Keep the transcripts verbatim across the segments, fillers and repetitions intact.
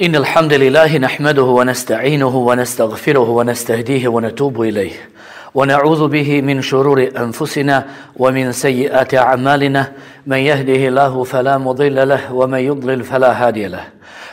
إن الحمد لله نحمده ونستعينه ونستغفره ونستهديه ونتوب إليه ونعوذ به من شرور أنفسنا ومن سيئات أعمالنا من يهده الله فلا مضل له ومن يضلل فلا هادي له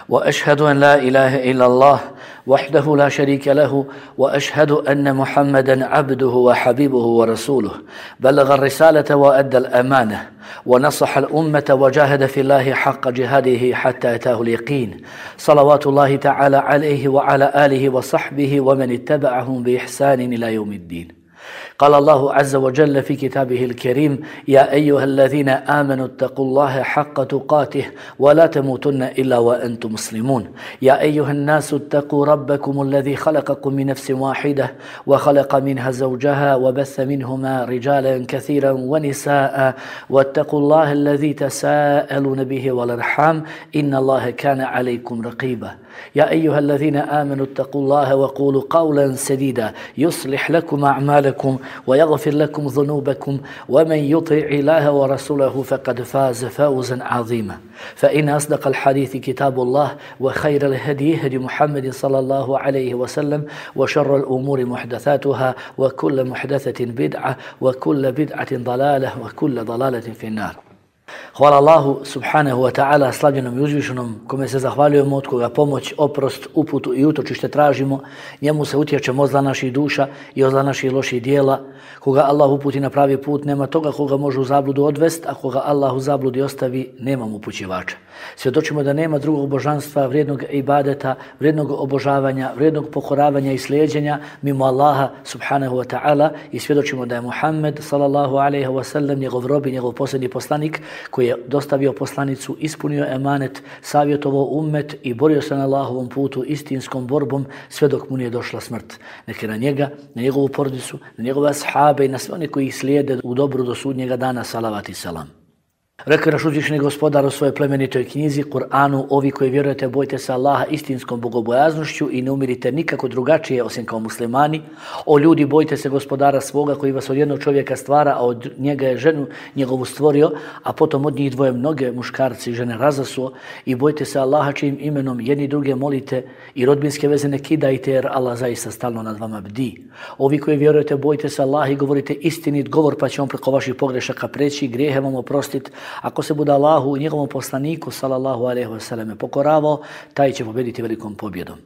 وأشهد أن لا إله إلا الله وحده لا شريك له وأشهد أن محمدا عبده وحبيبه ورسوله بلغ الرسالة وأدى الأمانة ونصح الأمة وجاهد في الله حق جهاده حتى أتاه اليقين صلوات الله تعالى عليه وعلى آله وصحبه ومن اتبعهم بإحسان إلى يوم الدين. قال الله عز وجل في كتابه الكريم: يا أيها الذين آمنوا اتقوا الله حق تقاته ولا تموتن إلا وأنتم مسلمون. يا أيها الناس اتقوا ربكم الذي خلقكم من نفس واحدة وخلق منها زوجها وبث منهما رجالا كثيرا ونساء واتقوا الله الذي تساءلون به والأرحام إن الله كان عليكم رقيبا. يا أيها الذين آمنوا اتقوا الله وقولوا قولا سديدا يصلح لكم أعمالكم ويغفر لكم ذنوبكم ومن يطع الله ورسوله فقد فاز فوزا عظيما. فإن أصدق الحديث كتاب الله وخير الهدي هدي محمد صلى الله عليه وسلم وشر الأمور محدثاتها وكل محدثة بدعة وكل بدعة ضلالة وكل ضلالة في النار. Hvala Allahu subhanahu wa ta'ala, slavljenom i uzvišenom, kome se zahvaljujemo, od koga pomoć, oprost, uputu i utočište tražimo. Njemu se utječemo od zla naših duša i od zla naših loših dijela. Koga Allah uputi na pravi put, nema toga koga može u zabludu odvest, a koga Allah u zabludi ostavi, nema upućivača. Svjedočimo da nema drugog božanstva, vrijednog ibadeta, vrijednog obožavanja, vrijednog pokoravanja i slijeđenja mimo Allaha subhanahu wa ta'ala i svjedočimo da je Muhammed sallallahu alaihi wa sallam njegov rob i njegov posljednji poslanik koji je dostavio poslanicu, ispunio emanet, savjetovao ummet i borio se na Allahovom putu istinskom borbom sve dok mu nije došla smrt. Neka na njega, na njegovu porodicu, na njegove ashabe i na sve one koji ih slijede u dobru do sudnjega dana, salavat i salam. Rekao je naš uzvišeni gospodar u svojoj plemenitoj knjizi, Kur'anu: ovi koji vjerujete, bojte se Allaha istinskom bogobojaznošću i ne umirite nikako drugačije osim kao muslimani. O ljudi, bojte se gospodara svoga koji vas od jednog čovjeka stvara, a od njega je ženu njegovu stvorio, a potom od njih dvoje mnoge muškarci i žene razasuo. I bojte se Allaha čijim imenom jedni druge molite i rodbinske veze ne kidajte, jer Allah zaista stalno nad vama bdi. Ovi koji vjerujete, bojte se Allaha i govorite istinit govor, pa će on preko vaših pogrešaka preći, grijehe vam oprostiti. Ako se bude Allahu i njegovom poslaniku sallallahu alejhi ve selleme pokoravao, taj će pobjediti velikom pobjedom.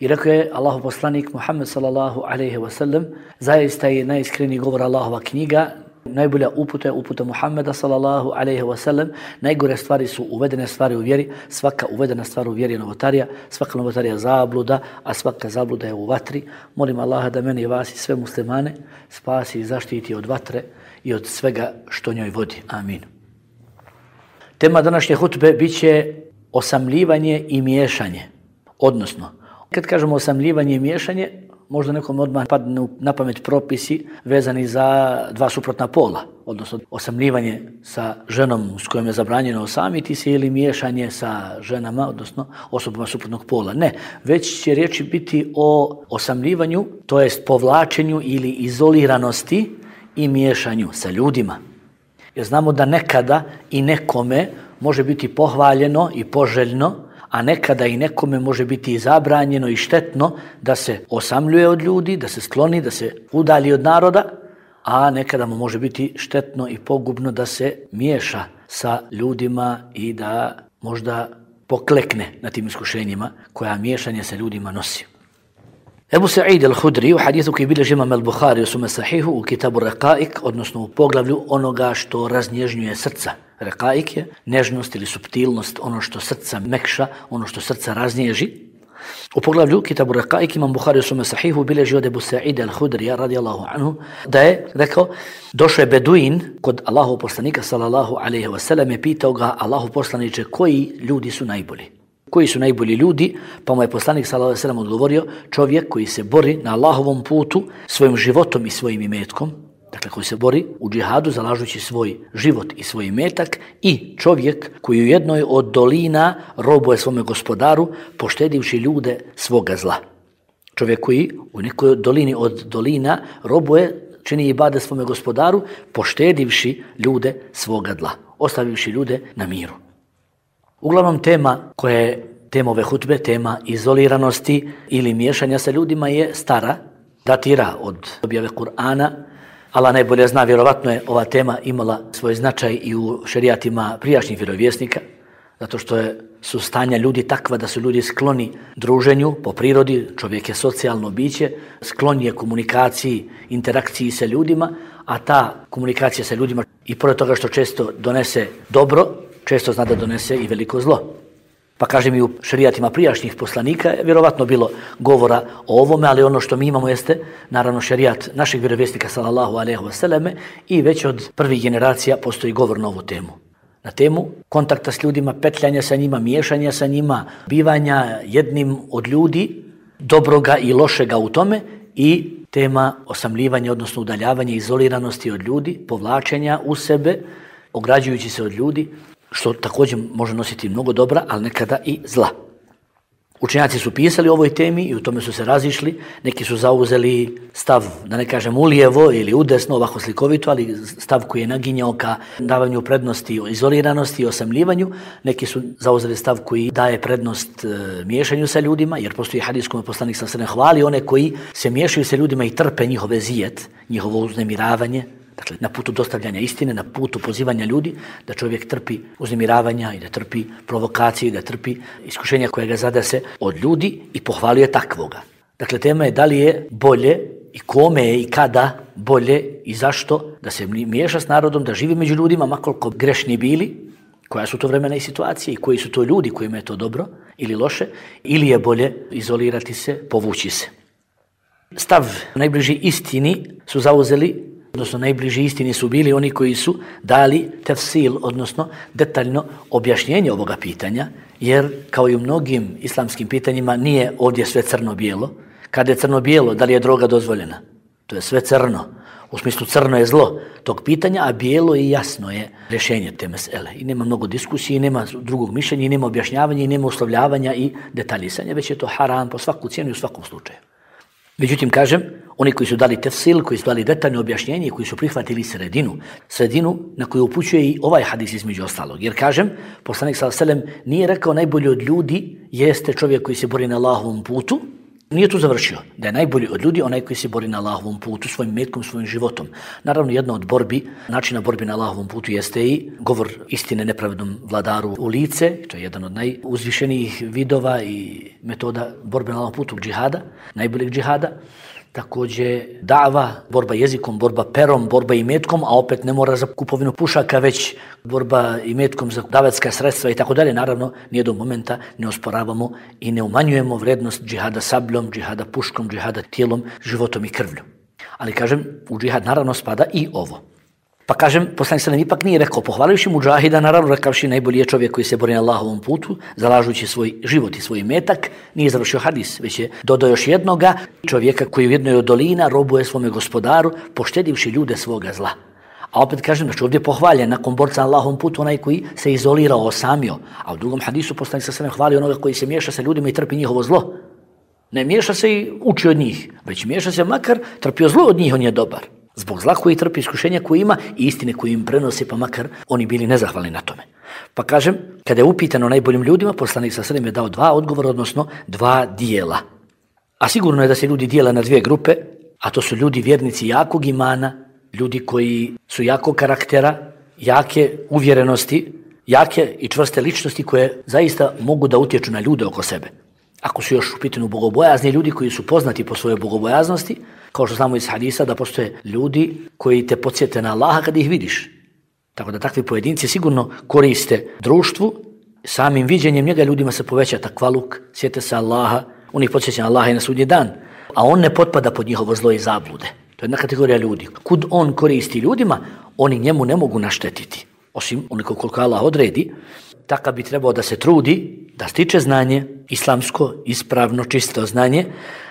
I rekao je Allahu poslanik Muhammed sallallahu alejhi ve sellem: zaista je najiskreniji govor Allahova knjiga, najbolja uputa je uputa Muhammeda sallallahu alejhi ve sellem. Najgore stvari su uvedene stvari u vjeri, svaka uvedena stvar u vjeri je novotarija, svaka novotarija zabluda, a svaka zabluda je u vatri. Molim Allaha da mene i vas i sve muslimane spasi i zaštiti od vatre i od svega što njoj vodi. Amin. Tema današnje hutbe bit će osamljivanje i miješanje. Odnosno, kad kažemo osamljivanje i miješanje, možda nekom odmah padne na pamet propisi vezani za dva suprotna pola. Odnosno, osamljivanje sa ženom s kojom je zabranjeno osamiti se ili miješanje sa ženama, odnosno osobama suprotnog pola. Ne, već će riječi biti o osamljivanju, to jest povlačenju ili izoliranosti i miješanju sa ljudima. Jer znamo da nekada i nekome može biti pohvaljeno i poželjno, a nekada i nekome može biti i zabranjeno i štetno da se osamljuje od ljudi, da se skloni, da se udalji od naroda, a nekada mu može biti štetno i pogubno da se miješa sa ljudima i da možda poklekne na tim iskušenjima koja miješanje sa ljudima nosi. Ebu Sa'id al-Hudri u hadithu koji bilježi imam al-Bukhari u svome sahihu u kitabu Raqaik, odnosno u poglavlju onoga što raznježnjuje srca. Raqaik je nežnost ili suptilnost, ono što srca mekša, ono što srca raznježi. U poglavlju kitabu Raqaik imam Bukhari u svome sahihu bilježi od Ebu Sa'id al-Hudrija radijallahu anhu da je rekao: došao je Beduin kod Allahov poslanika sallallahu alejhi ve sellem i pitao ga: Allahov poslaniče, koji ljudi su najbolji? Koji su najbolji ljudi? Pa mu je poslanik sallallahu alejhi ve sellem odgovorio: čovjek koji se bori na Allahovom putu svojim životom i svojim imetkom, dakle koji se bori u džihadu zalažući svoj život i svoj imetak, i čovjek koji u jednoj od dolina robuje svome gospodaru poštedivši ljude svoga zla. Čovjek koji u nekoj dolini od dolina robuje, čini ibadet svome gospodaru poštedivši ljude svoga zla, ostavivši ljude na miru. Uglavnom tema koja je tema ove hutbe, tema izoliranosti ili miješanja sa ljudima je stara, datira od objave Kur'ana. Allah najbolje zna, vjerovatno je ova tema imala svoj značaj i u šerijatima prijašnjih vjerovjesnika, zato što je, su stanja ljudi takva da su ljudi skloni druženju po prirodi, čovjek je socijalno biće, sklon je komunikaciji, interakciji sa ljudima, a ta komunikacija sa ljudima i pored toga što često donese dobro, često zna da donese i veliko zlo. Pa kažem i u šerijatima prijašnjih poslanika je vjerovatno bilo govora o ovome, ali ono što mi imamo jeste naravno šerijat našeg vjerovjesnika sallallahu alejhi ve selleme i već od prvih generacija postoji govor na ovu temu. Na temu kontakta s ljudima, petljanja sa njima, miješanja sa njima, bivanja jednim od ljudi, dobroga i lošega u tome i tema osamljivanja, odnosno udaljavanja, izoliranosti od ljudi, povlačenja u sebe, ograđujući se od ljudi, što također može nositi mnogo dobra, ali nekada i zla. Učenjaci su pisali o ovoj temi i u tome su se razišli. Neki su zauzeli stav, da ne kažem ulijevo ili udesno, ovako slikovito, ali stav koji je naginjao ka davanju prednosti izoliranosti i osamljivanju. Neki su zauzeli stav koji daje prednost e, miješanju sa ljudima, jer postoji hadis kome poslanik sallallahu alejhi ve sellem hvali one koji se miješaju sa ljudima i trpe njihove zijet, njihovo uznemiravanje. Dakle, na putu dostavljanja istine, na putu pozivanja ljudi, da čovjek trpi uznemiravanja i da trpi provokacije i da trpi iskušenja koje ga zadese od ljudi i pohvalio takvoga. Dakle, tema je da li je bolje i kome je i kada bolje i zašto da se miješa s narodom, da živi među ljudima, makoliko grešni bili, koja su to vremena i situacije i koji su to ljudi kojima je to dobro ili loše, ili je bolje izolirati se, povući se. Stav najbliži istini su zauzeli, odnosno najbliži istini su bili oni koji su dali tefsil, odnosno detaljno objašnjenje ovoga pitanja, jer kao i u mnogim islamskim pitanjima nije ovdje sve crno-bijelo. Kada je crno-bijelo, da li je droga dozvoljena? To je sve crno. U smislu crno je zlo tog pitanja, a bijelo i jasno je rješenje te mesele. I nema mnogo diskusije, nema drugog mišljenja, i nema objašnjavanja, i nema uslovljavanja i detaljisanja, već je to haram po svaku cijenu i u svakom slučaju. Međutim, kažem, oni koji su dali tefsil, koji su dali detaljno objašnjenje i koji su prihvatili sredinu, sredinu na koju upućuje i ovaj hadis između ostalog. Jer kažem, poslanik sallallahu alejhi ve sellem nije rekao najbolji od ljudi jeste čovjek koji se bori na Allahovom putu, nije tu završio. Da je najbolji od ljudi onaj koji se bori na Allahovom putu, svojim metkom, svojim životom. Naravno, jedna od borbi, načina borbi na Allahovom putu jeste i govor istine nepravednom vladaru u lice, to je jedan od najuzvišenijih vidova i metoda borbe na Allahovom putu, džihada, najboljeg džihada. Također dava, borba jezikom, borba perom, borba imetkom, a opet ne mora za kupovinu pušaka, već borba imetkom za davetska sredstva i tako dalje. Naravno, nijednog momenta ne osporavamo i ne umanjujemo vrednost džihada sabljom, džihada puškom, džihada tijelom, životom i krvlju. Ali kažem, u džihad naravno spada i ovo. Pa kažem, poslanik sallallahu ipak nije rekao, pohvalivši mudžahida, naravno rekavši najbolji je čovjek koji se bori na Allahovom putu, zalažući svoj život i svoj metak, nije završio hadis, već je dodao još jednoga čovjeka koji u jednoj od dolina robuje svome gospodaru, poštedivši ljude svoga zla. A opet kažem da će ovdje pohvaljen nakon borca na Allahovom putu onaj koji se izolirao, osamio. A u drugom hadisu poslanik sallallahu hvali onoga koji se miješa sa ljudima i trpi njihovo zlo. Ne miješa se i uči od njih, već miješa se makar trpio zlo od njih, on je dobar. Zbog zla koji trpi, iskušenja koji ima i istine koji im prenosi, pa makar oni bili nezahvalni na tome. Pa kažem, kada je upitano najboljim ljudima, poslanik sallallahu alejhi ve sellem je dao dva odgovora, odnosno dva dijela. A sigurno je da se ljudi dijele na dvije grupe, a to su ljudi vjernici jakog imana, ljudi koji su jakog karaktera, jake uvjerenosti, jake i čvrste ličnosti koje zaista mogu da utječu na ljude oko sebe. Ako su još u pitanju bogobojazni ljudi koji su poznati po svojoj bogobojaznosti, kao što znamo iz hadisa da postoje ljudi koji te podsjete na Allaha kad ih vidiš. Tako da takvi pojedinci sigurno koriste društvu, samim viđenjem njega ljudima se poveća takvaluk, sjete se Allaha, on ih podsjeća na Allaha i na sudnji dan, a on ne potpada pod njihovo zlo i zablude. To je jedna kategorija ljudi. Kud on koristi ljudima, oni njemu ne mogu naštetiti. Osim onoliko koliko Allah odredi, takav bi trebao da se trudi, da stiče znanje, islamsko, ispravno, čisto znanje,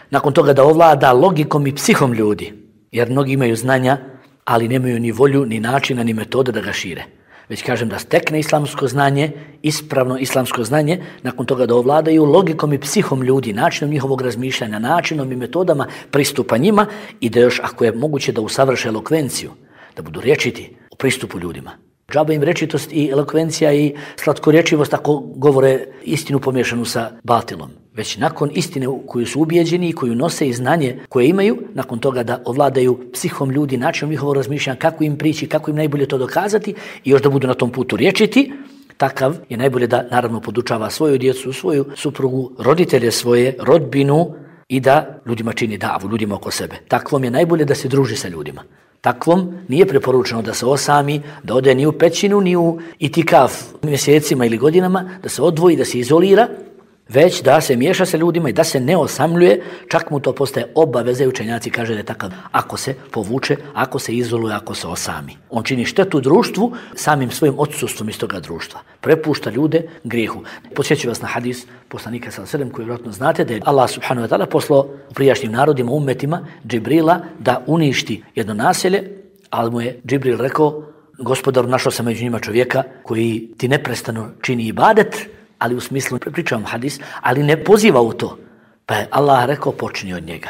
nakon toga da ovlada logikom i psihom ljudi, jer mnogi imaju znanja, ali nemaju ni volju, ni načina, ni metode da ga šire. Već kažem da stekne islamsko znanje, ispravno islamsko znanje, nakon toga da ovladaju logikom i psihom ljudi, načinom njihovog razmišljanja, načinom i metodama pristupa njima i da još, ako je moguće, da usavrše elokvenciju, da budu rječiti u pristupu ljudima. Džaba im rečitost i elokvencija i slatkorječivost ako govore istinu pomiješanu sa batilom. Već nakon istine u koju su ubijeđeni i koju nose i znanje koje imaju, nakon toga da ovladaju psihom ljudi, načinom njihovog razmišljanja, kako im prići, kako im najbolje to dokazati i još da budu na tom putu rječiti, takav je najbolje da naravno podučava svoju djecu, svoju suprugu, roditelje svoje, rodbinu i da ljudima čini davu, ljudima oko sebe. Takvom je najbolje da se druži sa ljudima. Takvom nije preporučeno da se osami, da ode ni u pećinu, ni u itikaf mjesecima ili godinama, da se odvoji, da se izolira, već da se miješa sa ljudima i da se ne osamljuje, čak mu to postaje obaveza i učenjaci kaže da je takav ako se povuče, ako se izoluje, ako se osami. On čini štetu društvu samim svojim odsustvom iz toga društva. Prepušta ljude grijehu. Podsjeću vas na hadis poslanika sallallahu alejhi ve sellem koji vjerojatno znate da je Allah subhanahu wa ta'ala poslao u prijašnjim narodima, ummetima, Džibrila da uništi jedno naselje, ali mu je Džibril rekao: Gospodaru, našao sam među njima čovjeka koji ti neprestano čini ibadet, ali u smislu, pričavam hadis, ali ne poziva u to. Pa je Allah rekao, počni od njega.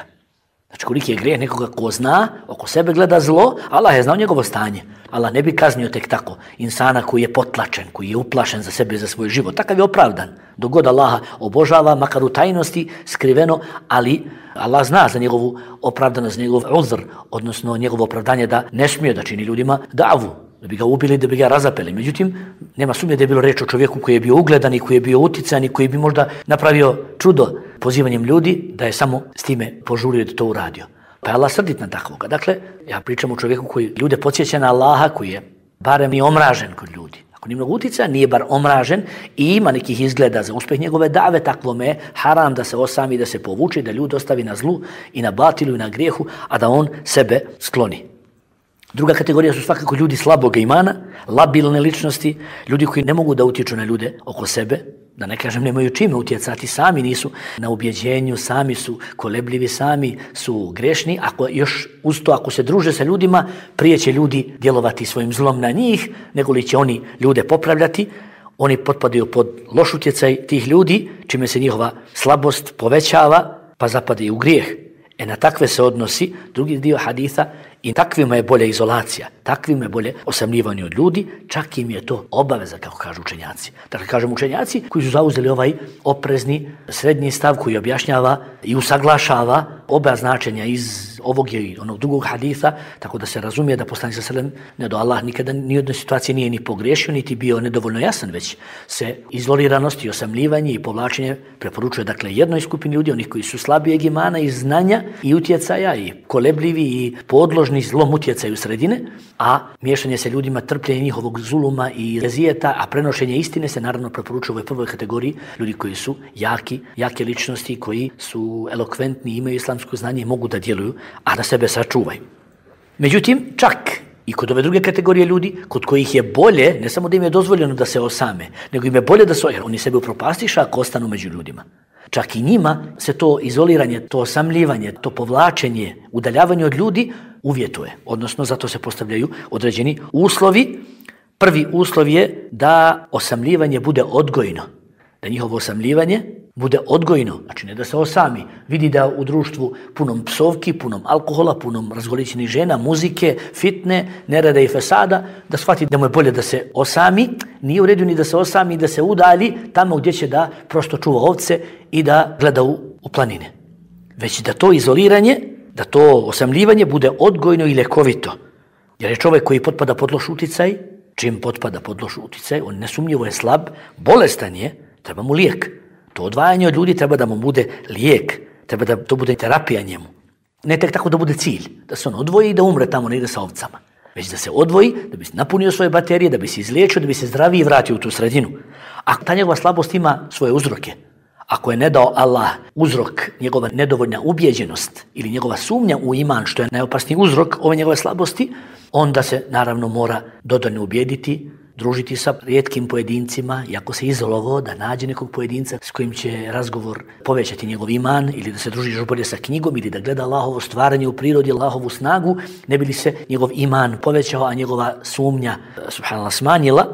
Znači, koliki je grijeh nekoga ko zna, oko sebe gleda zlo, Allah je znao njegovo stanje. Allah ne bi kaznio tek tako insana koji je potlačen, koji je uplašen za sebe i za svoj život. Takav je opravdan. Dok god Allaha obožava, makar u tajnosti, skriveno, ali Allah zna za njegovu opravdanost, za njegov uzr, odnosno njegovo opravdanje da ne smije da čini ljudima davu, da bi ga ubili, da bi ga razapeli. Međutim, nema sumnje da je bilo reč o čovjeku koji je bio ugledan i koji je bio utican i koji bi možda napravio čudo pozivanjem ljudi, da je samo s time požurio da to uradio. Pa je Allah srdit na takvoga. Dakle, ja pričam o čovjeku koji ljude podsjeća na Allaha, koji je barem i omražen kod ljudi. Ako nije mnogo uticaja, nije bar omražen i ima nekih izgleda za uspjeh njegove dave, takvome je haram da se osami, da se povuče, da ljudi ostavi na zlu i na batilu i na grijehu, a da on sebe skloni. Druga kategorija su svakako ljudi slabog imana, labilne ličnosti, ljudi koji ne mogu da utječu na ljude oko sebe, da ne kažem nemaju čime utjecati, sami nisu na ubjeđenju, sami su kolebljivi, sami su grešni. Ako još uz to, ako se druže sa ljudima, prije će ljudi djelovati svojim zlom na njih, nego li će oni ljude popravljati. Oni potpadaju pod loš utjecaj tih ljudi, čime se njihova slabost povećava, pa zapadaju u grijeh. E na takve se odnosi drugi dio haditha i takvima je bolja izolacija, takvima je bolje osamljivanje od ljudi, čak im je to obaveza, kako kažu učenjaci. Dakle, kažem učenjaci koji su zauzeli ovaj oprezni srednji stav koji objašnjava i usaglašava oba značenja iz ovog i onog drugog haditha, tako da se razumije da poslanik sallallahu alejhi ve sellem, ne do Allah, nikada ni u jednoj situaciji nije ni pogriješio, niti bio nedovoljno jasan, već se izoliranost i osamljivanje i povlačenje preporučuje dakle jednoj skupini ljudi, onih koji su slabijeg imana i znanja i utjecaja i kolebljivi i podložni zlom utjecaju sredine, a miješanje se ljudima, trpljenje njihovog zuluma i rezijeta, a prenošenje istine se naravno preporučuje u ovoj prvoj kategoriji ljudi koji su jaki, jake ličnosti, koji su elokventni, imaju islamsko znanje i mogu da djeluju, a da sebe sačuvaju. Međutim, čak i kod ove druge kategorije ljudi, kod kojih je bolje, ne samo da im je dozvoljeno da se osame, nego im je bolje da se, jer oni sebe upropastiša ako ostanu među ljudima. Čak i njima se to izoliranje, to osamljivanje, to povlačenje, udaljavanje od ljudi uvjetuje. Odnosno, zato se postavljaju određeni uslovi. Prvi uslov je da osamljivanje bude odgojno. Da njihovo osamljivanje bude odgojno. Znači, ne da se osami. Vidi da u društvu punom psovki, punom alkohola, punom razgoličenih žena, muzike, fitne, nereda i fesada, da shvati da mu je bolje da se osami. Nije u redu ni da se osami, da se udalji tamo gdje će da prosto čuva ovce i da gleda u, u planine. Već da to izoliranje, da to osamljivanje bude odgojno i ljekovito. Jer je čovjek koji potpada pod loš uticaj, čim potpada pod loš uticaj, on nesumnjivo je slab, bolestan je, treba mu lijek. To odvajanje od ljudi treba da mu bude lijek, treba da to bude terapija njemu. Ne tek tako da bude cilj, da se on odvoji i da umre tamo negdje sa ovcama. Već da se odvoji, da bi se napunio svoje baterije, da bi se izliječio, da bi se zdraviji vratio u tu sredinu. A ta njegova slabost ima svoje uzroke. Ako je ne dao Allah uzrok, njegova nedovoljna ubjeđenost ili njegova sumnja u iman, što je najopasniji uzrok ove njegove slabosti, onda se naravno mora dodatno ubijediti, družiti sa rijetkim pojedincima i ako se izolovao da nađe nekog pojedinca s kojim će razgovor povećati njegov iman ili da se druži još bolje sa knjigom ili da gleda Allahovo stvaranje u prirodi, Allahovu snagu, ne bi li se njegov iman povećao, a njegova sumnja, subhanallah, smanjila.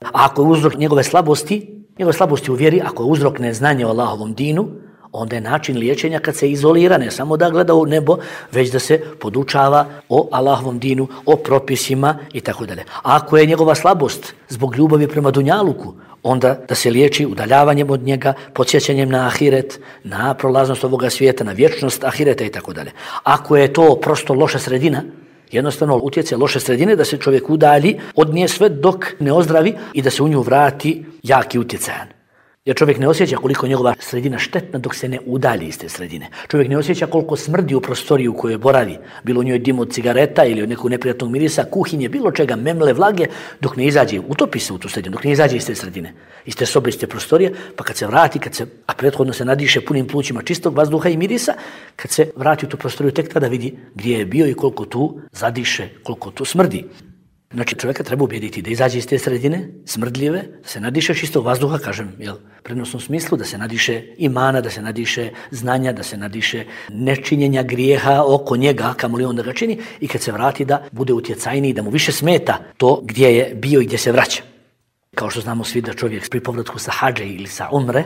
A ako je uzrok njegove slabosti, njegove slabosti u vjeri, ako je uzrok neznanje o Allahovom dinu, onda je način liječenja kad se izolira, ne samo da gleda u nebo, već da se podučava o Allahovom dinu, o propisima i tako dalje. A ako je njegova slabost zbog ljubavi prema dunjaluku, onda da se liječi udaljavanjem od njega, podsjećanjem na ahiret, na prolaznost ovoga svijeta, na vječnost ahireta i tako dalje. Ako je to prosto loša sredina, jednostavno utjecaj loše sredine da se čovjek udalji od nje sve dok ne ozdravi i da se u nju vrati jaki utjecajan. Jer čovjek ne osjeća koliko njegova sredina štetna dok se ne udalji iz te sredine. Čovjek ne osjeća koliko smrdi u prostoriju u kojoj boravi, bilo u njoj dim od cigareta ili od nekog neprijatnog mirisa, kuhinje, bilo čega, memle, vlage, dok ne izađe, utopi se u tu sredinu, dok ne izađe iz te sredine, iz te sobe, iz te prostorije, pa kad se vrati, kad se, a prethodno se nadiše punim plućima čistog vazduha i mirisa, kad se vrati u tu prostoriju, tek tada vidi gdje je bio i koliko tu zadiše, koliko tu smrdi. Znači čovjeka treba ubijediti da izađe iz te sredine, smrdljive, da se nadiše čistog vazduha, kažem, jel, prenosnom smislu, da se nadiše imana, da se nadiše znanja, da se nadiše nečinjenja grijeha oko njega, kamoli on da ga čini, i kad se vrati da bude utjecajniji, da mu više smeta to gdje je bio i gdje se vraća. Kao što znamo svi da čovjek pri povratku sa hadže ili sa umre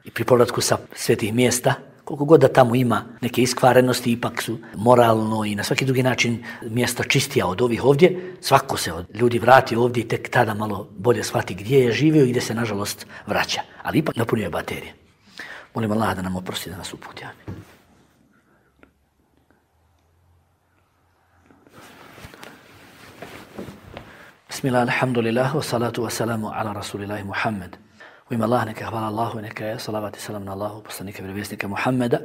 i pri povratku sa svetih mjesta, koliko god da tamo ima neke iskvarenosti, ipak su moralno i na svaki drugi način mjesta čistija od ovih ovdje, svako se od ljudi vrati ovdje i tek tada malo bolje shvati gdje je živio i gdje se nažalost vraća. Ali ipak napunio je baterije. Molim Allah da nam oprosti, da nas uputi. Bismillah, alhamdulillah, wa salatu wa salamu ala rasulillahi Muhammed. U ime Allah, neka hvala Allahu, neka je salavat i salam na Allahu, poslanika i vjerovjesnika Muhammeda.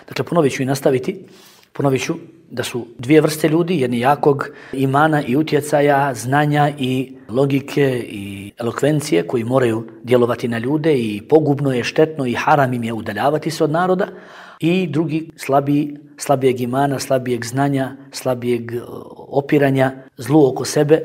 Dakle, ponovit ću i nastaviti. Ponovit ću da su dvije vrste ljudi, jedni jakog imana i utjecaja, znanja i logike i elokvencije koji moraju djelovati na ljude i pogubno je, štetno i haram im je udaljavati se od naroda. I drugi slabiji, slabijeg imana, slabijeg znanja, slabijeg opiranja, zlu oko sebe,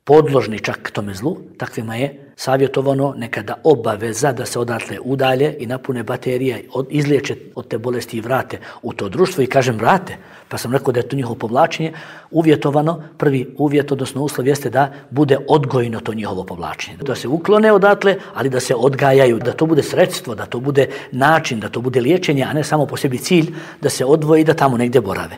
podložni čak tome zlu, takvima je savjetovano nekada obaveza da se odatle udalje i napune baterije, od, izliječe od te bolesti i vrate u to društvo. I kažem vrate, pa sam rekao da je to njihovo povlačenje uvjetovano. Prvi uvjet, odnosno uslov, jeste da bude odgojno to njihovo povlačenje. Da se uklone odatle, ali da se odgajaju, da to bude sredstvo, da to bude način, da to bude liječenje, a ne samo po sebi cilj da se odvoji i da tamo negdje borave.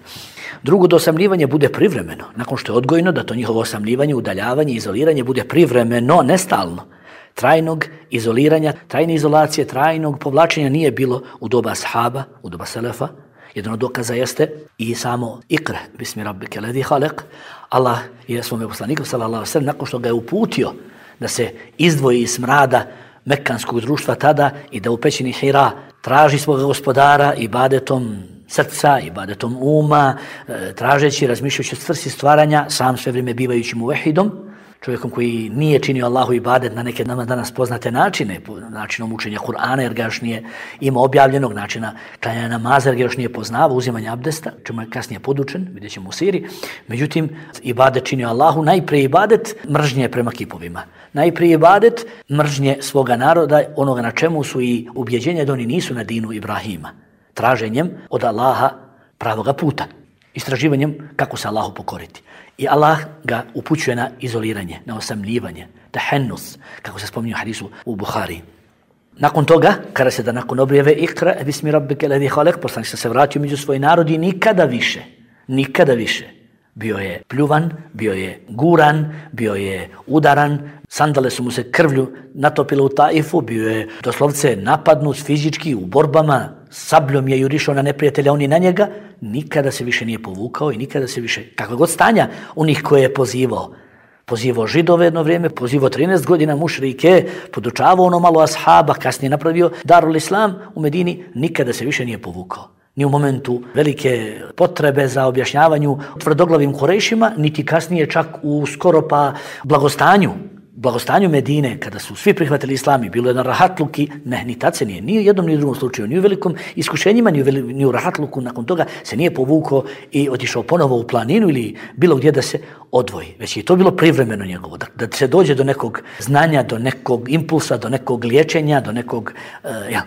Drugo, da osamljivanje bude privremeno. Nakon što je odgojno, da to njihovo osamljivanje, udaljavanje, izoliranje bude privremeno, nestalno. Trajnog izoliranja, trajne izolacije, trajnog povlačenja nije bilo u doba ashaba, u doba selefa. Jedan od dokaza jeste i samo ikra, bismi rabbike ladhi halak. Allah je svome poslaniku, sallallahu alejhi ve sellem, nakon što ga je uputio da se izdvoji iz smrada mekanskog društva tada i da u pećini Hira traži svoga gospodara ibadetom srca, ibadetom uma, tražeći, razmišljajući o svrsi stvaranja, sam sve vrijeme bivajući muvehidom, čovjekom koji nije činio Allahu ibadet na neke nama danas poznate načine, načinom učenja Kur'ana, jer ga još nije imao objavljenog, načina klanjanja namaza, jer ga još nije poznavao, uzimanja abdesta, čemu je kasnije podučen, vidjet ćemo u siri. Međutim, ibadet činio Allahu, najprije ibadet mržnje prema kipovima. Najprije ibadet mržnje svoga naroda, onoga na čemu su i ubjeđenja da oni nisu na dinu Ibrahima. Traženjem od Allaha pravoga puta, istraživanjem kako se Allahu pokoriti. I Allah ga upućuje na izoliranje, na osamljivanje, tahennus, kako se spominje u hadisu u Buhari. Nakon toga, kada se da nakon objave ikra, bismi rabbike ladhi halak, poslanik se vratio među svoj narod i nikada više, nikada više. Bio je pljuvan, bio je guran, bio je udaran, sandale su mu se krvlju natopile u Taifu, bio je doslovce napadnut fizički u borbama, sabljom je jurišao na neprijatelja, oni na njega, nikada se više nije povukao i nikada se više, kakva god stanja onih koje je pozivao. Pozivao Židove jedno vrijeme, pozivao trinaest godina mušrike, podučavao ono malo ashaba, kasnije napravio Darul Islam u Medini, nikada se više nije povukao. Ni u momentu velike potrebe za objašnjavanju tvrdoglavim Kurejšima, niti kasnije čak u skoro pa blagostanju, blagostanju Medine, kada su svi prihvatili islam i bilo je na rahatluki, ne, ni tad se nije, ni u jednom ni u drugom slučaju, ni u velikom iskušenjima, ni u, veli, ni u rahatluku, nakon toga se nije povukao i otišao ponovo u planinu ili bilo gdje da se odvoji. Već je to bilo privremeno njegovo, da, da se dođe do nekog znanja, do nekog impulsa, do nekog liječenja, do nekog, uh, ja,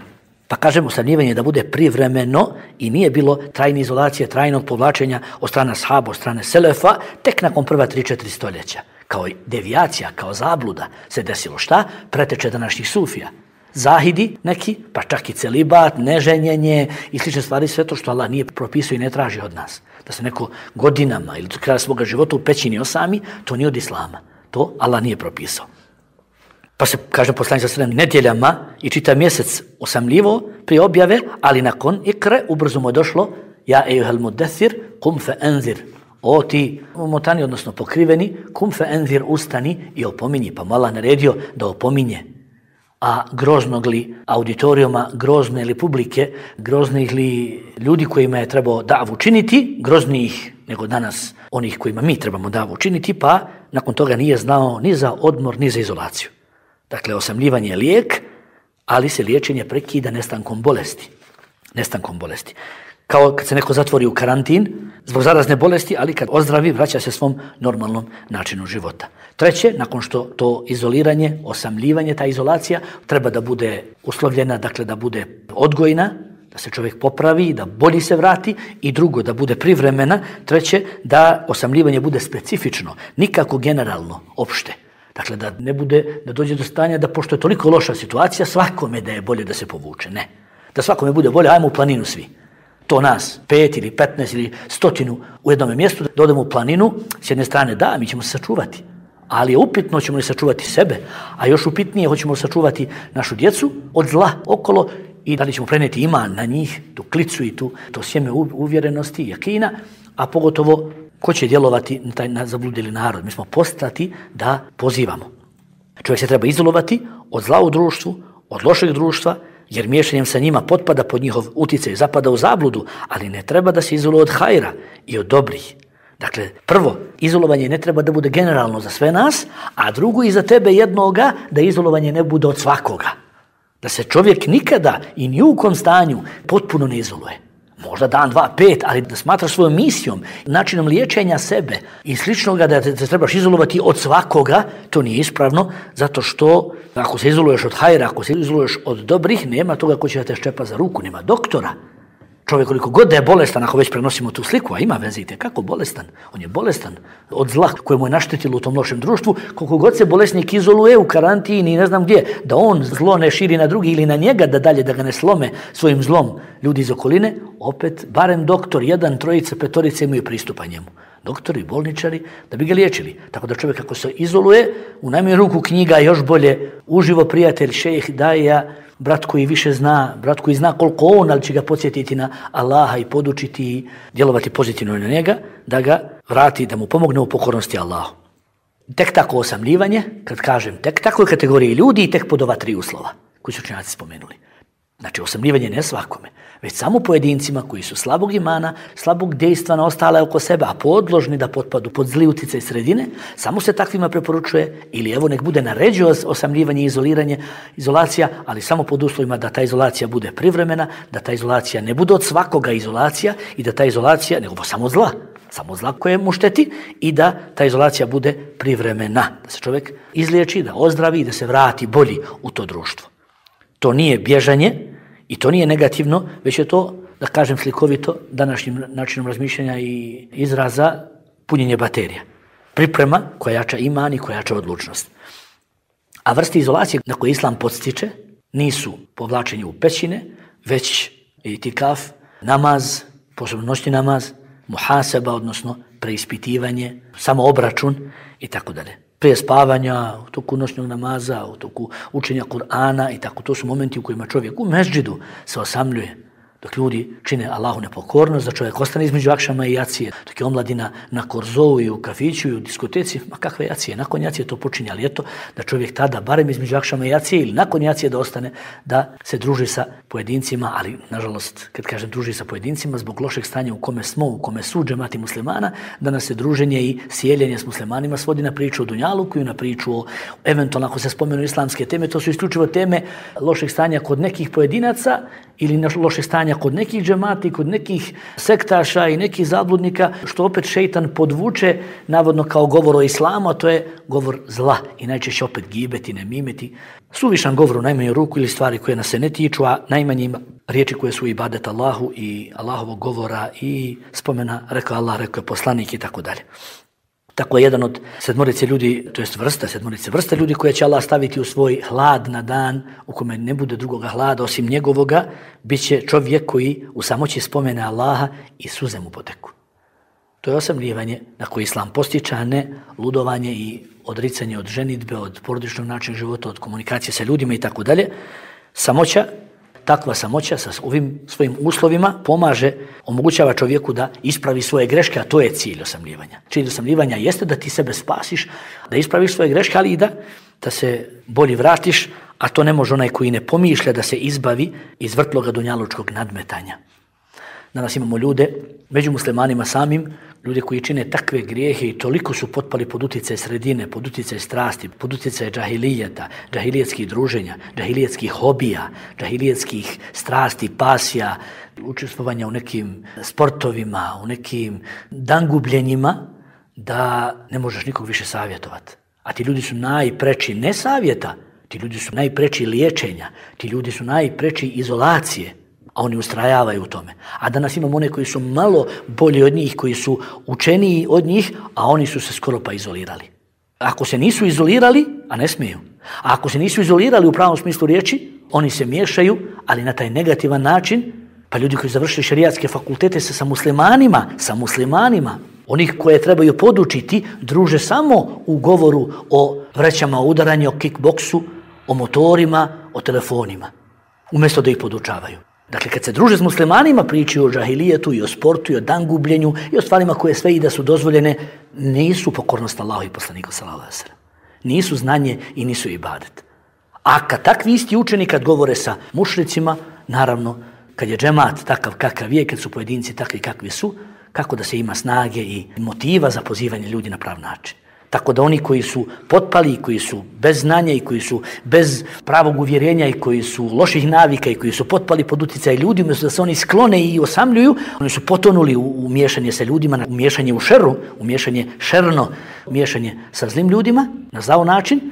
pa kažemo osamljivanje da bude privremeno i nije bilo trajne izolacije, trajnog povlačenja od strane ashaba, od strane selefa, tek nakon prva tri četiri stoljeća. Kao devijacija, kao zabluda se desilo šta? Preteče današnjih sufija. zahidi neki, pa čak i celibat, neženjenje i slične stvari, sve to što Allah nije propisao i ne traži od nas. Da se neko godinama ili do kraja svoga života u pećini osami, to nije od islama. To Allah nije propisao. Pa se, kaže poslanik sallallahu alejhi ve sellem, nedjeljama i čitav mjesec osamljivo prije objave, ali nakon ikre ubrzo mu je došlo ja ejuhel mudaththir kum fa anzir. O ti umotani, odnosno pokriveni, kum fa anzir, ustani i opominji. Pa mu Allah naredio da opominje. A groznog li auditorijuma, grozne li publike, groznih li ljudi kojima je trebao davu činiti, groznijih nego danas onih kojima mi trebamo davu činiti, pa nakon toga nije znao ni za odmor, ni za izolaciju. Dakle, osamljivanje je lijek, ali se liječenje prekida nestankom bolesti. Nestankom bolesti. Kao kad se neko zatvori u karantin zbog zarazne bolesti, ali kad ozdravi, vraća se svom normalnom načinu života. Treće, nakon što to izoliranje, osamljivanje, ta izolacija treba da bude uslovljena, dakle da bude odgojna, da se čovjek popravi, da bolji se vrati, i drugo, da bude privremena. Treće, da osamljivanje bude specifično, nikako generalno, opšte. Dakle, da ne bude, da dođe do stanja da pošto je toliko loša situacija, svakome da je bolje da se povuče. Ne. Da svakome bude bolje, ajmo u planinu svi. To nas, pet ili petnaest ili stotinu u jednom mjestu, da odemo u planinu, s jedne strane da, mi ćemo se sačuvati. Ali je upitno, ćemo li sačuvati sebe, a još upitnije, hoćemo li sačuvati našu djecu od zla okolo i da li ćemo prenijeti iman na njih, tu klicu i tu, to sjeme uvjerenosti i jakina, a pogotovo ko će djelovati na taj na zabludili narod. Mi smo postati da pozivamo. Čovjek se treba izolovati od zla u društvu, od lošeg društva, jer miješanjem sa njima potpada pod njihov utjecaj, zapada u zabludu, ali ne treba da se izoluje od hajra i od dobrih. Dakle, prvo, izolovanje ne treba da bude generalno za sve nas, a drugo i za tebe jednoga, da izolovanje ne bude od svakoga. Da se čovjek nikada i ni u kom stanju potpuno ne izoluje. Možda dan, dva, pet, ali da smatraš svojom misijom, načinom liječenja sebe i sličnoga da te, te trebaš izolovati od svakoga, to nije ispravno, zato što ako se izoluješ od hajra, ako se izoluješ od dobrih, nema toga ko će da te ščepa za ruku, nema doktora. Čovjek koliko god da je bolestan, ako već prenosimo tu sliku, a ima veze i kako bolestan, on je bolestan od zla koje mu je naštetilo u tom lošem društvu, koliko god se bolesnik izoluje u karantini i ne znam gdje, da on zlo ne širi na drugi ili na njega, da dalje da ga ne slome svojim zlom ljudi iz okoline, opet barem doktor, jedan, trojica, petorica imaju pristupa njemu. Doktori, bolničari, da bi ga liječili. Tako da čovjek ako se izoluje, u najmanju ruku knjiga još bolje, uživo prijatelj, šejh, daja, brat koji više zna, brat koji zna koliko on, ali će ga podsjetiti na Allaha i podučiti i djelovati pozitivno na njega, da ga vrati, da mu pomogne u pokornosti Allahu. Tek tako osamljivanje, kad kažem tek takoj kategoriji ljudi i tek pod ova tri uslova koji su učenjaci spomenuli. Znači, osamljivanje ne svakome, već samo pojedincima koji su slabog imana, slabog dejstva na ostale oko sebe, a podložni da potpadu pod zli utjecaj sredine, samo se takvima preporučuje, ili evo nek bude naređuje osamljivanje i izoliranje, izolacija, ali samo pod uslovima da ta izolacija bude privremena, da ta izolacija ne bude od svakoga izolacija i da ta izolacija, nego samo zla, samo zla koje mu šteti, i da ta izolacija bude privremena, da se čovjek izliječi, da ozdravi i da se vrati bolji u to društvo. To nije bježanje i to nije negativno, već je to, da kažem slikovito, današnjim načinom razmišljanja i izraza, punjenje baterija. Priprema koja jača iman i koja jača odlučnost. A vrste izolacije na koje islam podstiče nisu povlačenje u pećine, već itikaf, namaz, posebno noćni namaz, muhaseba, odnosno preispitivanje, samoobračun i tako dalje. Prije spavanja, u toku noćnog namaza, u toku učenja Kur'ana i tako. To su momenti u kojima čovjek u mežđidu se osamljuje. Dok ljudi čine Allahu nepokornost, da čovjek ostane između akšama i jacije, dok je omladina na korzou i u kafiću i u diskoteci, ma kakve jacije, nakon jacije to počinje, ali eto da čovjek tada, barem između akšama i jacije ili nakon jacije da ostane, da se druži sa pojedincima, ali nažalost, kad kažem druži sa pojedincima, zbog lošeg stanja u kome smo, u kome su džemati muslimana, da nas se druženje i sjeljenje s muslimanima svodi na priču o dunjaluku i na priču o, eventualno ako se spomenu islamske teme, to su isključivo teme lošeg stanja kod nekih pojedinaca ili lošeg stanja kod nekih džemati, kod nekih sektaša i nekih zabludnika, što opet šejtan podvuče navodno kao govor o islamu, a to je govor zla i najčešće opet gibeti, nemimeti. Suvišan govor u najmanju ruku ili stvari koje nas se ne tiču, a najmanje riječi koje su ibadet Allahu i Allahovog govora i spomena, rekao Allah, rekao je poslanik i tako dalje. Tako je jedan od sedmorice ljudi, to jest vrsta, sedmorice vrsta ljudi koje će Allah staviti u svoj hlad na dan u kome ne bude drugoga hlada osim njegovoga, bit će čovjek koji u samoći spomene Allaha i suze mu poteku. To je osamljivanje na koje Islam postiče, a ne ludovanje i odricanje od ženidbe, od porodičnog načina života, od komunikacije sa ljudima i tako dalje. Samoća, takva samoća sa ovim svojim uslovima pomaže, omogućava čovjeku da ispravi svoje greške, a to je cilj osamljivanja. Cilj osamljivanja jeste da ti sebe spasiš, da ispraviš svoje greške, ali i da, da se bolje vratiš, a to ne može onaj koji ne pomišlja da se izbavi iz vrtloga dunjalučkog nadmetanja. Danas imamo ljude, među muslimanima samim, ljude koji čine takve grijehe i toliko su potpali pod utjecaj sredine, pod utjecaj strasti, pod utjecaj džahilijeta, džahilijetskih druženja, džahilijetskih hobija, džahilijetskih strasti, pasija, učestvovanja u nekim sportovima, u nekim dangubljenjima, da ne možeš nikog više savjetovati. A ti ljudi su najpreči ne savjeta, ti ljudi su najpreči liječenja, ti ljudi su najpreči izolacije. A oni ustrajavaju u tome. A danas imamo one koji su malo bolji od njih, koji su učeniji od njih, a oni su se skoro pa izolirali. Ako se nisu izolirali, a ne smiju, a ako se nisu izolirali u pravom smislu riječi, oni se miješaju, ali na taj negativan način, pa ljudi koji završili šerijatske fakultete sa, sa muslimanima, sa muslimanima, onih koje trebaju podučiti, druže samo u govoru o vrećama udaranja, o kickboksu, o motorima, o telefonima, umjesto da ih podučavaju. Dakle, kad se druže s muslimanima, pričaju o džahilijetu i o sportu i o dangubljenju i o stvarima koje sve i da su dozvoljene, nisu pokornost Allahu i poslaniku sallallahu alejhi ve sellem. Nisu znanje i nisu ibadet. A kad takvi isti učeni kad govore sa mušricima, naravno, kad je džemat takav kakav je, kad su pojedinci takvi kakvi su, kako da se ima snage i motiva za pozivanje ljudi na prav način. Tako da oni koji su potpali, koji su bez znanja i koji su bez pravog uvjerenja i koji su loših navika i koji su potpali pod utjecaj ljudi, umjesto da se oni sklone i osamljuju, oni su potonuli u, u miješanje sa ljudima, u miješanje u šeru, u miješanje šerno, u miješanje sa zlim ljudima, na zao način,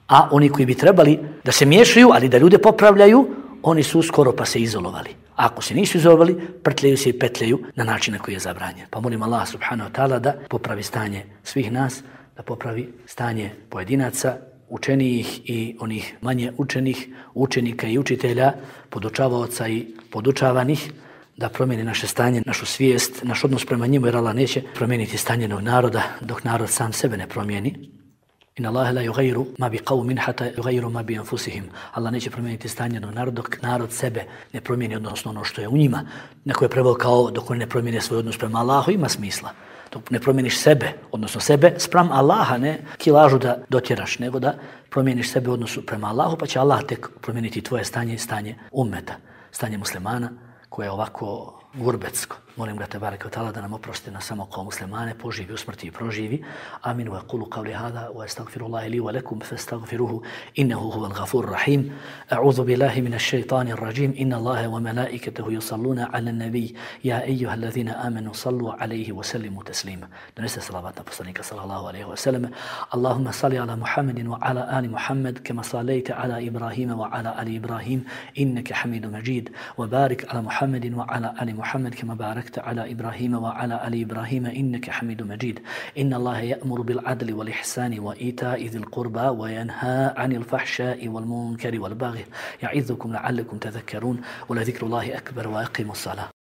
a oni koji bi trebali da se miješaju, ali da ljude popravljaju, oni su skoro pa se izolovali. A ako se nisu izolovali, prtljaju se i petljaju na način na koji je zabranjen. Pa molim Allah subhanahu wa ta'ala da popravi stanje svih nas, da popravi stanje pojedinaca, učenijih i onih manje učenih, učenika i učitelja, podučavaoca i podučavanih, da promijeni naše stanje, našu svijest, naš odnos prema njemu, jer Allah neće promijeniti stanje naroda dok narod sam sebe ne promijeni. Inna Allahe la yughayyiru ma bi qawmin hatta yughayyiru ma bi anfusihim. Allah neće promijeniti stanje naroda dok narod sebe ne promijeni, odnosno ono što je u njima. Neko je preveo kao dok oni ne promijene svoj odnos prema Allahu, ima smisla. Dok ne promijeniš sebe, odnosno sebe spram Allaha, ne kilažu da dotjeraš, nego da promijeniš sebe u odnosu prema Allahu, pa će Allah tek promijeniti tvoje stanje i stanje ummeta, stanje muslimana koje je ovako gurbetsko. Molim ga tebareke ve taala da nam oprosti na samo kao muslimane, poživi u smrti i proživi. Amin wa qulu qawli hada wa astaghfirullaha li wa lakum fastaghfiruhu innahu huwal ghafurur rahim. A'udhu billahi minash shaitanir rajim. Inna Allaha wa malaikatahu yusalluna 'alan nabiy ya ayyuhalladhina amanu sallu 'alayhi wa sallimu taslima. Donese salavat na poslanika sallallahu alayhi wa sallam. Allahumma salli ala Muhammadin wa ala ali Muhammad kama sallaita ala Ibrahim wa ala ali Ibrahim innaka Hamidum Majid. Wa barik ala Muhammadin wa ala ali Muhammad kama barak على إبراهيم وعلى آل إبراهيم إنك حميد مجيد إن الله يأمر بالعدل والإحسان وإيتاء ذي القربى وينهى عن الفحشاء والمنكر والبغي يعظكم لعلكم تذكرون ولذكر الله أكبر وأقيموا الصلاة